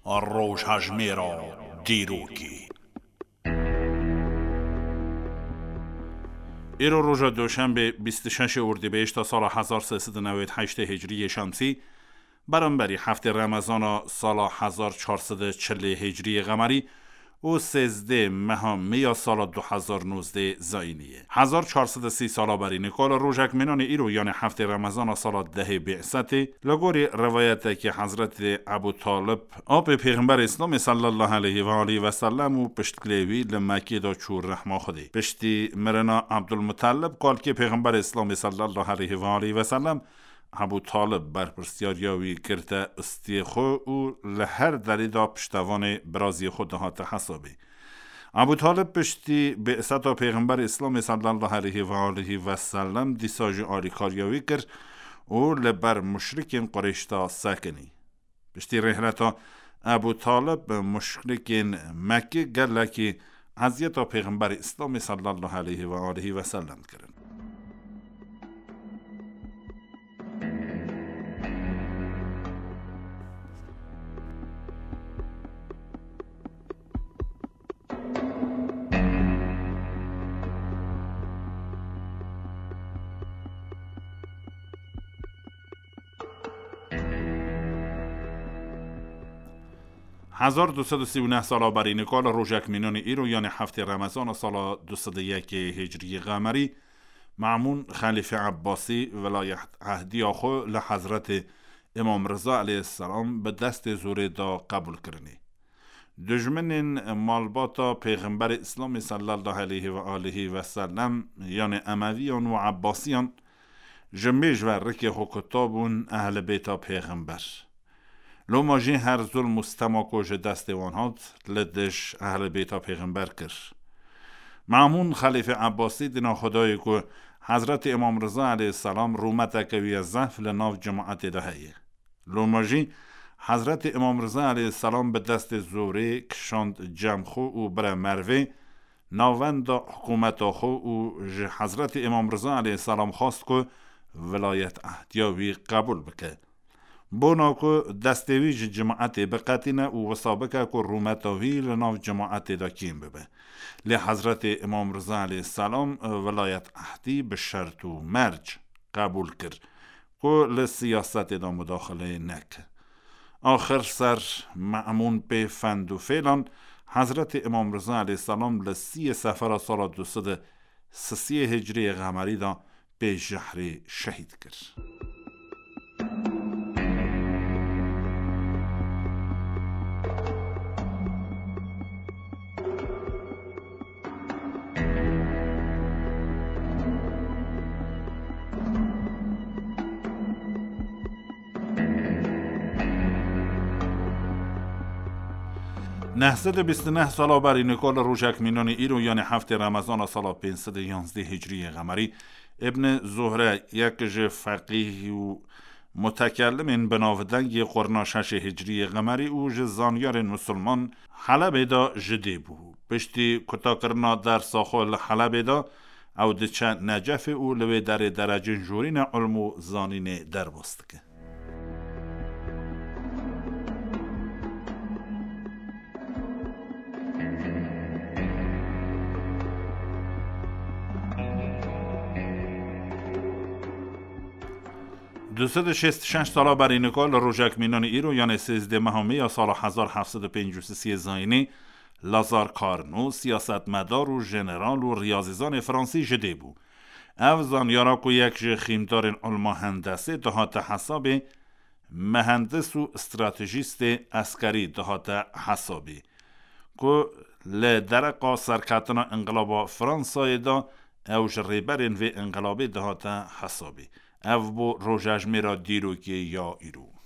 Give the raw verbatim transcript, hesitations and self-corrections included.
Rojhejmêra dîrokê. Îro roja Doşenbê, bîst û şeş Urdîbêşta sala hezar sê sed û newêd heştê Hicriyê Şemsî, beramberî heftê Remezana sala hezar çar sed û çilê Hicriyê Qemerî û sêzdê meha Mê ya sala du hezar nozdê Zayînî ye. Hezar çar sed û sî sala berî nika li rojek mînanê îro, yanê heftê Remezana sala dehê Bî'setê, li gorî rivayetekî Hezretê Ebû Talib, apê Pêxemberê Îslamê sallallahu aleyhi ve aleyhi ve sellem û piştgirê wî li Mekkê de çû rehma Xwedê. Piştî mirina Ebdulmutalib, kalkê Pêxemberê Îslamê sallallahu aleyhi ve aleyhi ve sellem, Ebû Talib berpirsiyariya wî girte istiyê xwe û li her derê de piştevanê biraziyê xwe dihate hesabê. Ebû Talib piştî Bî'seta Pêxemberê Îslamê sallallahu aleyhi ve aleyhi ve sellem dîsa jî alîkariya wî kir û li ber muşrikên Qureyş de sekinî. Piştî rêhleta Ebû Talib, muşrikên Mekkê gelekî eziyeta Pêxemberê Îslamê sallallahu aleyhi ve aleyhi ve sellem kirin. Hezar du sed û sî û neh sala berî nika li rojek mînanê îro, yanê heftê Remezana sala du sed û yekê Hicriyê Qemerî, Me'mûn Xelîfê Ebbasî, vilayet ehdiya xwe li Hezretê Îmam Riza aleyhisselam bi destê zorê da qebûl kirinê. Dijminên malbata Pêxemberê Îslamê sallallahu aleyhi ve aleyhi ve sellem, yanê Emeviyan û Ebbasiyan, ji mêj ve rikê xwe kuta bûn Ehlê Beyta Pêxember. Loma jî her zulm û stema ku ji destê wan hat, li dij Ehlê Beyta Pêxember kir. Me'mûn Xelîfê Ebbasî dîna xwe dayê ku Hezretê Îmam Riza aleyhisselam rûmeteke wî ye zehf li nav cemaetê de heye. Loma jî Hezretê Îmam Riza aleyhisselam bi destê zorê kişand cem xwe û bire mervê navenda hikûmeta xwe û ji Hezretê Îmam Riza aleyhisselam xwest ku vilayet ehdiya wî qebûl bike. Bona ku destê wî ji cemaetê biqetîne û wisa bike ku rûmeta wî li nav cemaetê de kêm bibe. Lê Hezretê Îmam Riza aleyhisselam vilayet ehdî bi şert û merc qebûl kir ku li siyasetê de mudaxileyê neke. Axir ser Me'mûn pê fend û fêlan, Hezretê Îmam Riza aleyhisselam li siyê Sefera sala du sed û sisiyê Hicriyê Qemerî de pê jehrê şehîd kir. Neh sed û bîst û neh sala berî nika li rojek mînanê îro, yanê heftê Remezana sala pênc sed û yanzdeh Hicriyê Qemerî, Îbn Zuhre, yek ji feqîh û mutekellimên bi navdengê qurna şeşê Hicriyê Qemerî û ji zanyarên misilman, Helebê de ji dê bû. Piştî kutakirina dersa xwe li Helebê de, ew diçe Necefê û li wê derê derecên jorîne ilm û zanînê derbas dike. Du sed û şêst û şeş sala berî nika li rojek mînanê îro, yanê sêzdeh meha Mê ya sala hezar heft sed û pêncî û sisiyê Zayînê, Lazar Carnot, siyasetmedar û jeneral û riyazîzanê fransî ji dê bû. Ev zanyara ku yek ji xîmdarên ilma hendesê dihate hesabê, mehendis û stratejîstê eskerî dihate hesabê, ku li dereqa serketina Înqilaba Fransayê de ew ji rêberên vê înqilabê dihate hesabê. Ev bû rojejmêra dîrokê ya îro.